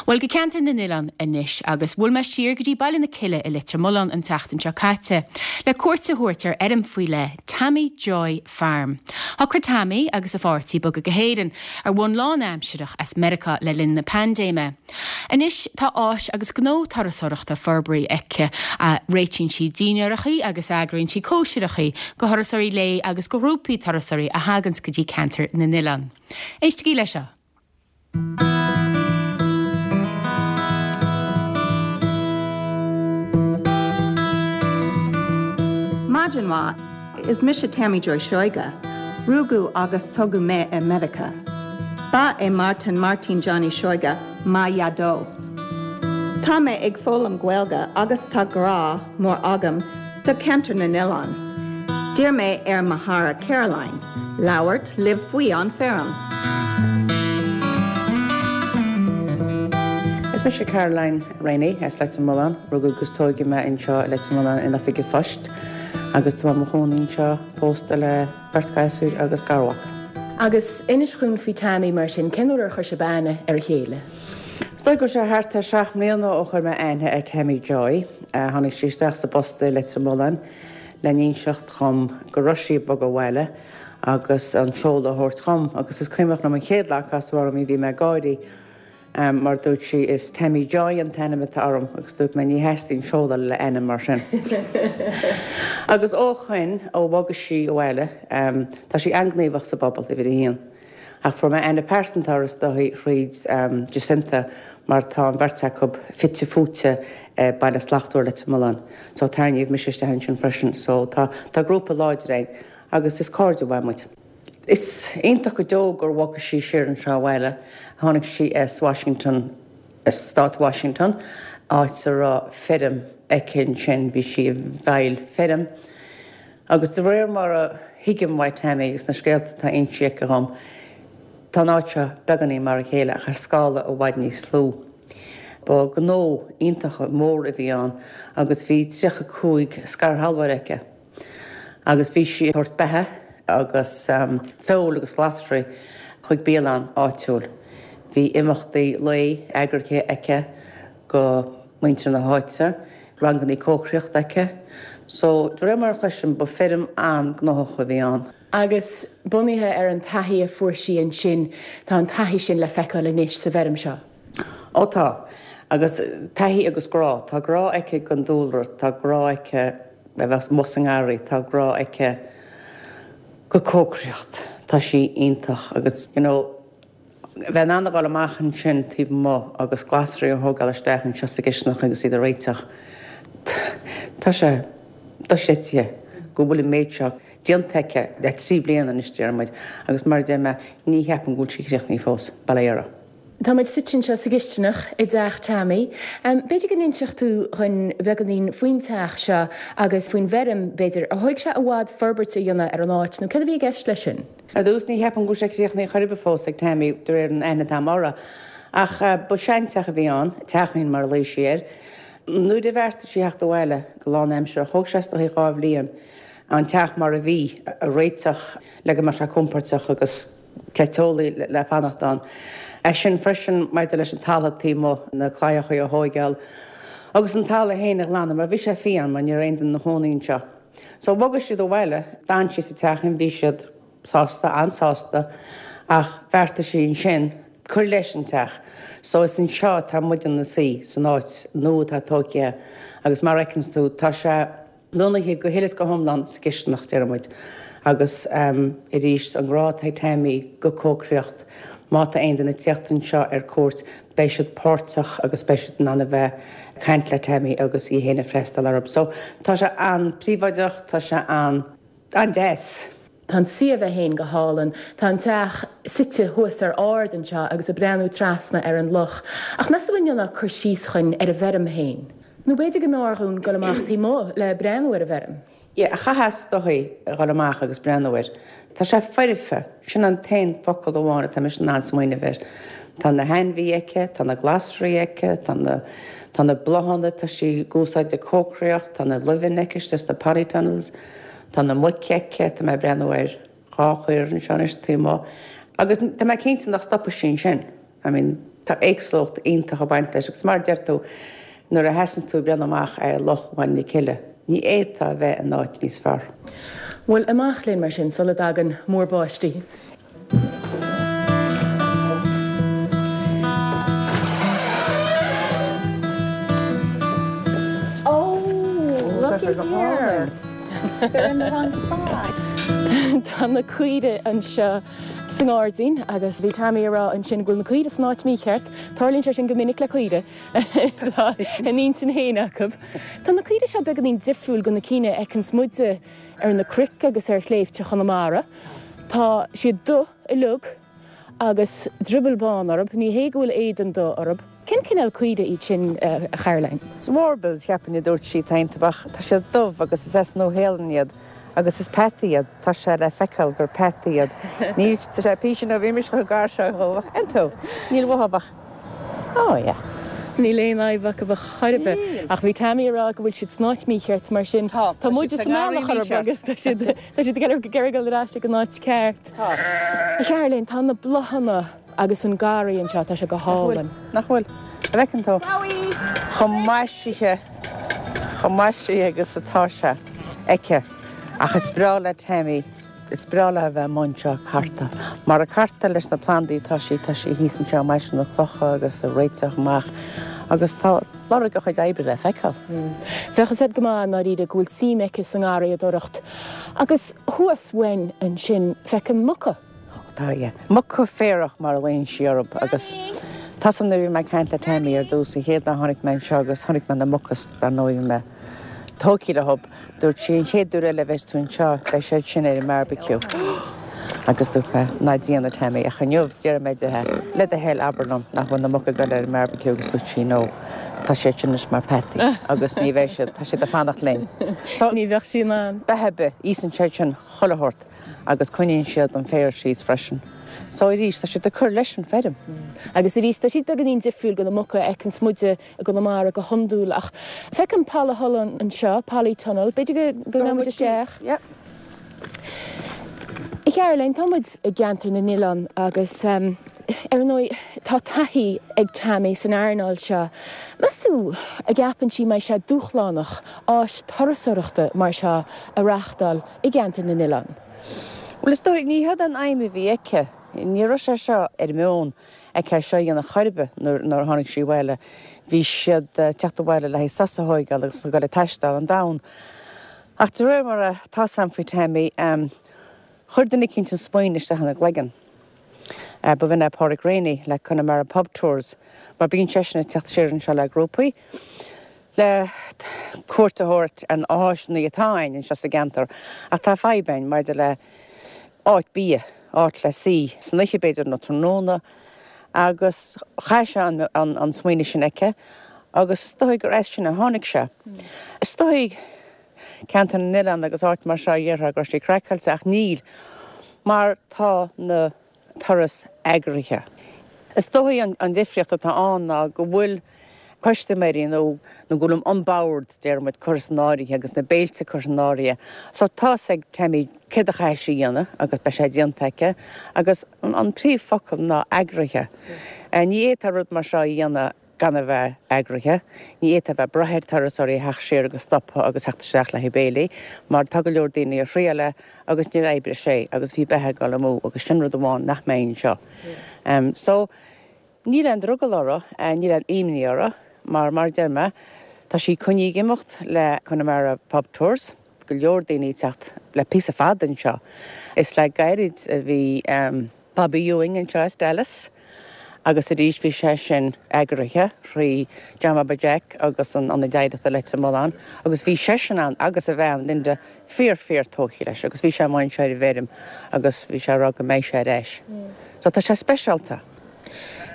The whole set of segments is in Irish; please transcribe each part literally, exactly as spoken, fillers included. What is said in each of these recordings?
Bhuel go Ceantar na nOileán anois agus bhuail mé siar go dtí Baile na Cille i Leitir Mealláin an tseachtain seo caite, le cuairt a thabhairt ar fheirm faoi leith Tammy Joy Farm. Shocraigh Tammy agus a páirtí bogadh go hÉirinn ar bhonn lánaimsearach as Meiriceá le linn na paindéime. Anois tá áis agus gnó turasóireachta forbartha aici a réitíonn sí dinnéaracha agus eagraíonn sí cóisireacha do thurasóirí lae agus do ghrúpaí turasóirí a thaganns go dtí Ceantar na nOileán. Éistigí leis seo. Maidin mhaith is mise Tammy Joy Seoige, Rugadh agus tógadh mé i Meiriceá. Ba é Martin Martin Johnny Seoige mo dhaideo. Tá mé ag foghlaim Gaeilge agus tá grá mór agam do Ceantar na nOileán. D'iarr mé ar mo chara Caroline, labhairt libh faoi an feirm. Is mise Caroline Rainey as Leitir Mealláin, rugadh agus tógadh mé anseo i Leitir Mealláin in oifig an phoist agus tá mé i mo chónaí anseo pósta le beirt ghasúr agus garmhac. Agus inis dúinn faoi Tammy mar sin cén uair a chuir sibh aithne ar a chéile. Is dóigh go raibh sé thart ar seacht mbliana ó chuir mé aithne ar Tammy Joy, tháinig sí isteach sa bpost i Leitir Mealláin le n-inseacht dhom go raibh sí ag bogadh abhaile agus an seoladh a thabhairt dhom agus is cuimhneach liom an chéad lá a casadh orm í bhí mé ag gáirí mar dúirt sí is Tammy Joy an t-ainm atá orm agus dúirt mé ní theastaíonn seoladh le ainm mar sin. Agus ó shin ó bhog sí abhaile tá sí an-ghníomhach sa bpobal uimhir a haon. Ach fuair mé aithne pearsanta uirthi is dóigh thríd Jacinta mar tá an bheirt acu fite fuaite Baile Slachtmhar Leitir Mealláin. So tarraingíodh mise isteach ansin freisin, so tá tá grúpa láidir againn agus is cairde mhaith muid. Is iontach go deo gur bhog sí siar anseo abhaile, tháinig sí as Washington, as stát Washington, áit a raibh feirm aici ansin, bhí sí i bhfeighil feirm. Agus de réir mar a thuigim uaidh Tammy agus na scéalta atá inste aici dhom, tá an áit seo beagáinín mar a chéile ach ar scála i bhfad níos lú. Ba gnó iontach mór a bhí ann agus bhí tríocha cúig scairshealbhóir aici. Agus bhí sí ag tabhairt beatha agus feoil agus glasraí chuig bialann áitiúil. Bhí imeachtaí lae eagraithe aici go muintir na háite, rangannaí cócaireachta aici. So, de réir mar a chloisim, ba feirm an-ghnóthach a bhí ann. Agus bunaithe ar an taithí a fuair sí ansin, tá an taithí sin le feiceáil anois sa bhfeirm seo. Ó tá. Agus taithí agus grá. Tá grá aici don dúlra, tá grá aici a bheith amuigh sa ngarraí, tá grá aici go cócaireacht. Tá sí iontach agus you know bheith in ann a dhul amach ansin taobh amuigh agus glasraí a thógáil isteach anseo sa gcisteanach agus iad a réiteach, tá sé dochreidte go bhfuil an méid seo déanta aici le trí bliana anois deir muid agus mar a deir mé ní cheapaim go bhfuil sí críochnaithe fós, bail ó Dhia uirthi. Tá muid suite anseo sa gcisteanach i dteach Tammy. B'fhéidir go n-inseodh tú dhúinn beagáinín faoin teach seo agus faoin bhfeirm, b'fhéidir. Ar thóig sé i bhfad forbairt a dhéanamh ar an áit nó céard a bhí i gceist leis sin? Ar dtús, ní cheapaim go bhfuil sé críochnaithe chor ar bith fós ag Tammy de réir an aithne atá agam uirthi. Ach ba seanteach a bhí ann, teachín mar a ghlaoigh sí air. Nuair a bheartaigh sí theacht abhaile go lánaimseartha, thóg sé is dóichí dhá bhliain an teach mar a bhí a réiteach le go mbeadh sé compóirteach agus te teolaí le fanacht ann. É sin freisin maidir leis an talamh taobh amuigh, na claíochaí a thóigeáil agus an talamh féin a ghlanadh mar bhí sé fiáin mar ní raibh aon duine ina chónaí anseo. So bhog siad abhaile, d'fhan sí sa teachín, bhí siad sásta, an-sásta ach bheartaigh sí ansin cur leis an teach. So is anseo atá muid ina suí, san áit nua atá tógtha agus mar a fheiceanns tú tá sé, Lonnaithe go huile is go hiomlán sa gcisteanach, deir muid. Agus arís, an grá atá ag Tammy go cócaireacht, má tá aon duine ag tíocht anseo ar cuairt, beidh siad páirteach agus beidh siad in ann a bheith ag caint le Tammy agus í féin ag freastal orthu. So, tá sé an-príobháideach, tá sé an, an-deas. Tá an suíomh é féin go hálainn. Tá an teach suite thuas ar ard anseo agus ag breathnú trasna ar an loch. Ach meas tú an ndéanfá cur síos dhúinn ar an bhfeirm féin? Nó b'fhéidir go mb'fhearr dhúinn dul amach taobh amuigh le breathnú ar an bhfeirm? Yeah, chaithfeá is dóichí a dhul amach agus breathnú air. Tá sé foirfe, sin an t-aon focal amháin atá mise in ann smaoineamh air. Tá na hainmhithe aici, tá na glasraí aici, tá na, tá na bláthanna atá sí ag úsáid ag cócaireacht, tá na luibheanna aici istigh sna polytunnels, tá na muic aici, tá mé ag breathnú ar dhá chaora anseo anois taobh amuigh. Agus tá mé cinnte nach stopfaidh sí ansin. I mean, Tá éagsúlacht iontach ag baint leis agus mar a deir tú, nuair a sheasann tú ag breathnú amach ar Loch Bhaile na Cille, ní fhéadfá a bheith in áit níos fearr. Bhuel, amach linn mar sin sula dtagann múr báistí. Oh, looky here. They're in the wrong spot. Tá na caoirigh anseo sa ngairdín agus bhí Tammy ag rá ansin go bhfuil na caoirigh san áit mícheart. Tarlaíonn sé sin go minic le caoirigh. Tá a n-intinn féin acu. Tá na caoirigh seo beagáinín difriúil go na cinn a fheiceanns muide ar na cnoic agus ar shléibhte Chonamara. Tá siad dubh uilig agus drioball bán orthu. Ní hé go bhfuil éadan dubh orthu. Cén cineál caoirigh iad sin, a Charoline? Warbles, cheapfainn a dúirt sí, tá Tá siad dubh agus is as Nua-Shéalainn iad. Agus is peataí iad, tá sé le feiceáil gur peataí iad. Níl, tá sé píosa nó bhí mise chomh gar seo dhóibh ach iontu, níl uathu ach, oh yeah. Níl aon fhadhb acu ar chor ar bith. Ach bhí Tammy ag rá go bhfuil siad san áit mícheart mar sin Tá, tá muide sa mbealach orthu agus tá siad tá siad ag iarraidh dul ar ais ag an áit ceart. Tá. A Charoline, tá na bláthanna agus an garraí anseo, tá sé go hálainn. Nach bhfuil? An bhfeiceann tú? Chomh maisithe, chomh maisithe agus atá sé aici. Ach is breá le Tammy, is breá léi a bheith amuigh anseo ag cartadh. Mar ag cartadh leis na plandaí atá sí, tá sí thíos anseo ag maisiú na clocha agus ag réiteach amach agus tá lorg a chuid oibre le feiceáil. Bheadh a fhios agat go maith i ndáiríre go bhfuil suim aici sa ngarraíodóireacht. Agus thuas uainn ansin feicim muca. Tá, yeah. Muca féarach mar a ghlaonn sí orthu agus tá a fhios agam nuair a bhí mé ag caint le Tammy ar dtús an chéad lá a tháinig mé anseo agus chonaic mé na muca dar ndóigh bhí mé tógtha leo. Dúirt sí an chéad uair eile a bheas tú anseo beidh siad sin ar an mbarbecue. Agus dúirt mé ná déan a Tammy ach inniu deir mé di le do thoil abair liom nach bhfuil na muca ag dul ar an mbarbecue agus dúirt sí no tá siad sin anois mar peataí agus ní bheidh siad tá siad ag fanacht linn. So ní bheadh sí in ann. Beatha ar bith, íosann siad sin chuile shórt agus coinníonn siad an féar síos freisin. So arís tá siad ag cur leis an feirm. Agus arís tá siad beagáinín difriúil go na muca a fheiceanns muide i gConamara go hiondúil ach feicim polathollán anseo, polytunnel, b'fhéidir go go ngabhfaidh muid isteach. Yeah. A Charoline, tá muid i gceantar na n-oileán agus ar ndóigh tá taithí ag Tammy san earnáil seo. Meas tú an gceapann sí mbeidh sé dúshlánach áis turasóireachta mar seo a reáchtáil i gceantar na n-oileán? Bhuel is dóigh ní hé an aidhm a bhí aici. Ní raibh sé seo ar meon aici seo a dhéanamh chor ar bith nuair a tháinig sí abhaile. Bhí siad teacht abhaile le haghaidh sos a thógáil agus a ghoil ag taisteal an domhan. Ach de réir mar atá a fhios agam faoi Tammy, chuir duine eicínt an smaoineamh isteach ina gcloigeann. B'in é Pádraig Rainey le Connemara Pub Tours, mar bíonn seisean ag teacht siar anseo le grúpaí le cuairt a thabhairt ar na háiseanna atá ann anseo sa gceantar. Ach tá fadhb ann maidir le áit bia, áit le suí san oíche b'fhéidir nó tráthnóna agus chaith sé an, an, an smaoineamh sin aici agus is dóigh gur as sin a tháinig sé. Is dóigh ceantar na n-oileán agus áit mar seo dhéarfá go raibh sé craiceáilte ach níl mar tá na turais eagraithe. Is dóigh an, an difríocht atá ann ná go bhfuil custaiméirí nó nó go bhfuil an bord deir muid curtha san áirithe agus na béilte curtha san áirithe. So tá a fhios ag Tammy céard a chaithfidh sí a dhéanamh agus beidh sé déanta aici agus an, an príomhfhocal ná eagraithe. Ní fhéadfá rud mar seo a dhéanamh gan a bheith eagraithe. Ní fhéadfá bheith ag brath ar turasóirí a theacht siar agus stopadh agus theacht isteach le haghaidh béilí, mar tá go leor daoine a thriail é agus níor oibrigh sé agus bhí beatha ag dul amú agus sin rud amháin nach mbeidh anseo. Um, so níl aon drogall orthu, níl aon imní orthu, mar mar deir mé, tá sí coinnithe ag imeacht le Connemara Pub Tours, go leor daoine ag teacht le píosa fada anseo. Is le gairid a bhí um, Bobby Ewing anseo as Dallas, agus arís bhí sé sin eagraithe thrí John Bhaba Jack agus an Ionad Oidhreachta Leitir Mealláin, agus bhí seisean ann agus a bhean Linda fíor fíor tógtha leis agus bhí sé amuigh anseo ar an bhfeirm agus bhí sé ag rá go mbeidh sé ar ais. So tá sé speisialta.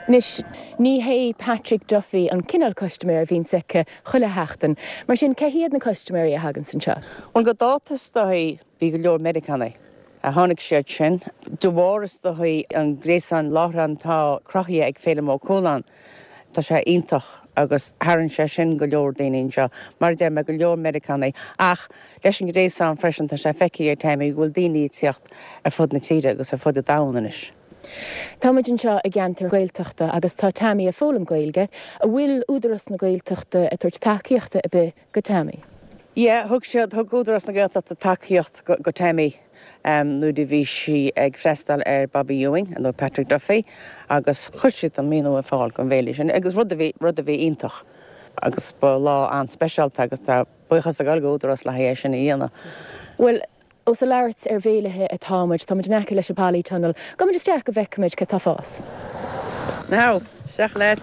Anois, ní hé Patrick Duffy an cineál custaiméir a bhíonns aici chuile sheachtain. Mar sin cé hiad na custaiméirí a thaganns anseo? Bhuel go dáta is dóigh bhí go leor Meiriceánaigh. A tháinig siad sin. De bharr is dóigh an gréasán láithreán atá cruthaithe ag Féilim Ó Cualáin. Tá sé iontach agus tharraing sé sin go leor daoine anseo. Mar a deir mé go leor Meiriceánaigh ach leis an ngréasán freisin tá sé feicthe ag Tammy go bhfuil daoine ag teacht ar fud na tíre agus ar fud an domhain anois. Tá muid anseo i gceantar Gaeltachta agus tá Tammy ag foghlaim Gaeilge, an bhfuil Údarás na Gaeltachta ag tabhairt tacaíochta ar bith go Tammy. Yeah, thug siad thug Údarás na Gaeltachta tacaíocht go, go Tammy um, nuair a bhí sí ag freastal ar Bobby Ewing nó Patrick Duffy agus chuir siad an maoiniú ar fáil don bhéile sin agus rud a bhí rud a bhí iontach agus ba lá an-speisialta agus tá buíochas ag gabháil go Údarás le haghaidh sin a dhéanamh. Well, Ós ag labhairt ar bhéilithe atáimid, táimid in aice leis an polytunnel, Gabhfaimid isteach go bhfeicfimid cad tá ag fás. Now, isteach leat.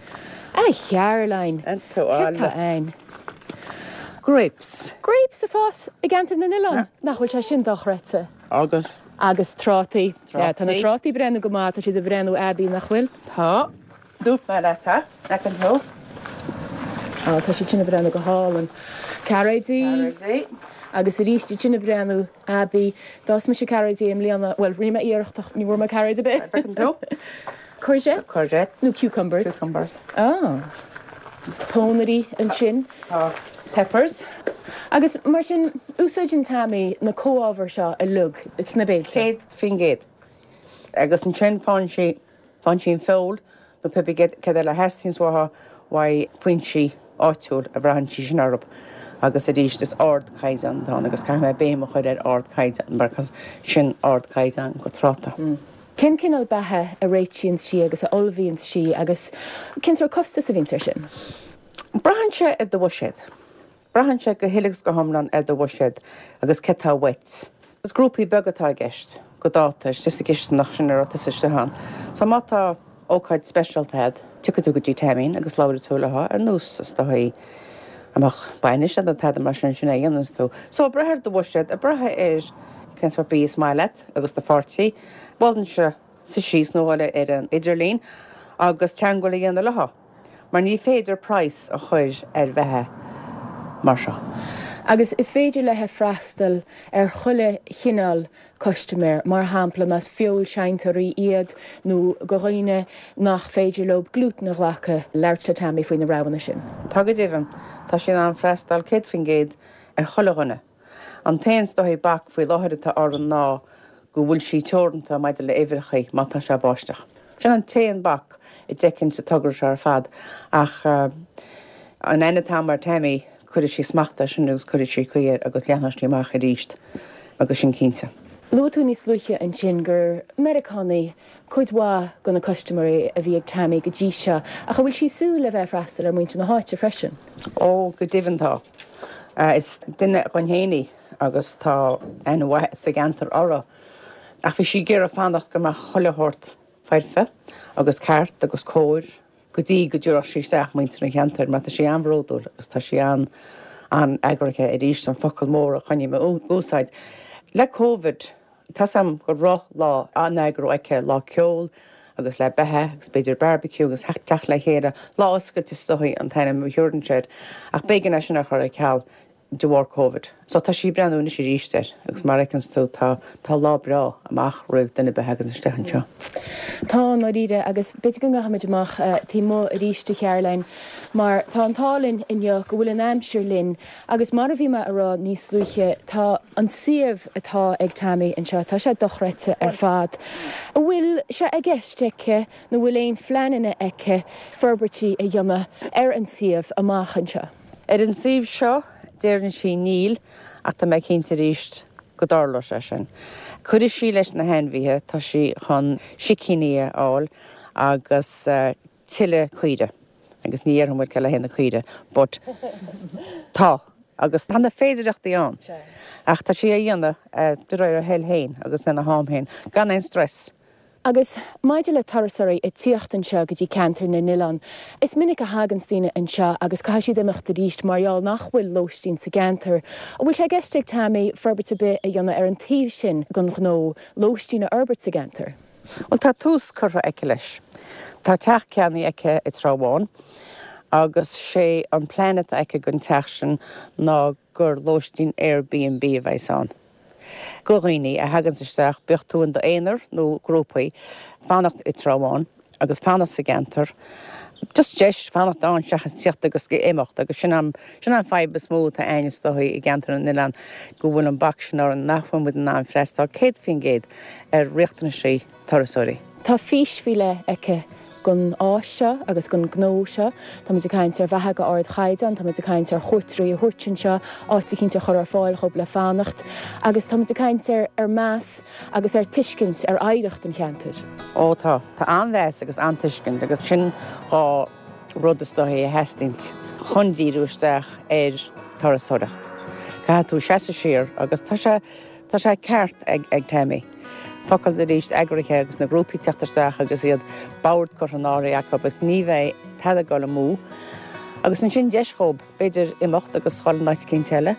A Charoline. Tá ein. Grapes. Grapes ag fás i gceantar na n-oileán nach bhfuil sé sin dochreidte. Agus Agus trátaí Tá na trátaí breathnú go maith tá siad ag breathnú aibí nach bhfuil? Tá dúirt mé leat an thú? Tá siad sin ag breathnú go hálainn. Cairéidí agus arís sin ag breathnú aibí D'fhás mise cairéidí i mbliana well rinne mé iarracht ní bhfuair mé cairéid ar bith. Courgette? Courgettes. Nó cucumbers. Cucumbers. Ah. Pónairí ansin. Tá peppers. Agus mar sin úsáideann Tammy na comhábhair seo uilig sna béilí. Céad faoin gcéad. Agus ansin faigheann sí faigheann sí an feoil nó pé cad eile a theastaíonn uaithi uaidh foinsí áitiúil a bhraitheann sí sin orthu. agus arís is ardchaighdeán atá agus caithfidh mé béim a chur ar ardchaighdeán mar sin ardchaighdeán go tráta. Mm. Cén cineál beatha a réitíonn sí agus a ullmhaíonn sí agus cén sórt costas a bhíonn air sin. Braitheann sé ar do bhuiséad. Braitheann sé go huile is go hiomlán ar do bhuiséad agus cad tá uait. Is grúpaí beaga atá i gceist go dáta is sa gcisteanach sin ar an. So má tá ócáid speisialta agat, tiocfaidh tú go dtí Tammy agus labhróidh tú léi ar nós is dóigh amach bainis an tada mar sin sin é dhéananns tú. So brath ar do bhuiséad ag brath ar cén sórt bia is maith leat agus do pháirtí, Bhuel se sa síos nó eile ar an idirlíon agus teagmháil a dhéanamh léi. Mar ní féidir praghas a chur ar bheatha mar seo. Agus is féidir léi freastal ar chuile chineál custaiméir, mar shampla más feoilséantóirí iad nó go dhaoine nach féidir leo glútan a ghlacadh labhairt le Tammy faoi na roghanna sin. Tá go deimhin tá sí in ann freastal céad faoin gcéad ar chuile dhuine. An t-aon dóigh bac faoi láthair atá orainn ná go bhfuil sí teoranta maidir le huimhreacha má tá sé báisteach. Sin an t-aon bac i dteicin sa togra seo ar fad ach uh, an aithne atá agam ar Tammy chuirfidh sí smacht air sin agus chuirfidh sí caoi air agus leathnóidh sí amach arís agus sin cinnte. Luaigh tú níos luaithe ansin gur Meiriceánaigh cuid mhaith de na custaiméirí a bhí ag Tammy go dtí seo, ach bhfuil sí ag súil le bheith freastal ar mhuintir na háite freisin. Ó go deimhin tá. Uh, is duine againn féin í agus tá aithne mhaith sa gceantar uirthi. Ach bhí sí ag iarraidh fanacht go mbeadh chuile shórt foirfe agus ceart agus cóir go dtí go dtabharfadh sí isteach muintir an cheantair, mar tá sí an-bhródúil agus tá sí an an-eagraithe arís an focal mór a choinnigh mé úsáid. Le COVID tá am go raibh lá an-eagrú aici lá ceol agus le beatha agus b'fhéidir barbecue agus teacht le chéile lá oscailte is dóigh an t-ainm a thabharfainn air ach b'éigean é sin a chur ar ceal de bharr COVID. So tá sí ag breathnú anois arís air agus mar a fheiceann tú tá tá lá breá amach roimh duine ar bith agus isteach anseo. Tá dáiríre agus b'fhéidir go ngabhfaimid amach uh, taobh amuigh arís a Charoline, mar tá an t-ádh linn inniu go bhfuil an aimsir linn agus mar a bhí mé ag rá níos luaithe tá an suíomh atá ag Tammy anseo tá sé dochreidte ar fad. An bhfuil sé i gceist aici nó bhfuil aon phleananna aici forbairtí a dhéanamh ar an suíomh amach anseo. Ar an suíomh seo deireann sí níl ach tá mé cinnte arís go dtarlóidh sé sin. Cuirfidh sí leis na hainmhithe tá sí chun sicíní a fháil agus uh, tuilleadh caoirigh. agus ní dhéarfaidh muid le na caoirigh, but tá agus tá na féidearthachtaí ann. Ach tá sí á dhéanamh uh, de réir a thoil féin agus lena ham féin, gan aon stress. Agus maidir le turasóirí ag tíocht anseo go dtí ceantar na n-oileán. Is minic a thagann daoine anseo agus caithfidh siad imeacht arís mar gheall nach bhfuil lóistín sa gceantar. An bhfuil sé i gceist ag Tammy forbairt ar bith a dhéanamh ar an taobh sin den ghnó lóistín a fhorbairt sa gceantar. Well tá tús curtha aici leis. Tá teach ceannaithe aici i dTrá Bháin agus sé an plean atá aici don teach sin ná gur lóistín Airbnb a bheas ann. Go dhaoine a thagann isteach bíodh tú in d'aonar nó grúpaí fanacht i dTrá Bháin agus fanacht sa gceantar. Just deis fanacht ann seachas tíocht agus imeacht agus sin an sin an fadhb is mó atá againn is dóigh i gceantar na n-oileán go bhfuil an bac sin orainn nach bhfuil muid in ann freastal céad faoin gcéad ar riachtanaisí turasóirí. Tá fís faoi leith aici don áit seo agus don ghnó seo, Tá muid ag caint ar bheatha go ardchaighdeán, tá muid ag caint ar chuairteoirí a thabhairt anseo, áit eicínt a chur ar fáil dhóibh le fanacht, agus tá muid ag caint ar ar meas agus ar tuiscint ar oidhreacht an cheantair. Ó tá tá an-mheas agus an-tuiscint agus sin dhá rud is dóichí a theastaíonn chun díriú isteach ar turasóireacht. Caithfidh tú seasamh siar agus tá sé tá sé ceart ag ag Tammy. Focal arís eagraithe agus na grúpaí teacht isteach agus iad bord curtha in áirithe acu agus ní bheidh tada ag dul amú. Agus ansin deis dhóibh b'fhéidir imeacht agus dhul in áit eicínt eile,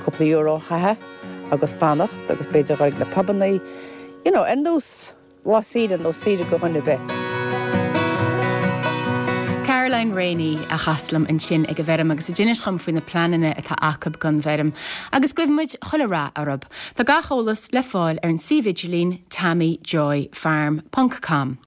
cúpla euro a chaitheamh agus fanacht agus b'fhéidir dhul ag na pubannaí, you know, ar nós lá saoire nó saoire go dhuine ar bith. Caroline Rainey a chas liom ansin ag an bhfeirm agus a d'inis dhom faoi na pleananna atá acu don bhfeirm, agus guímid chuile rath orthu. Tá gach eolas le fáil ar an suíomh idirlín tammyjoyfarm.com.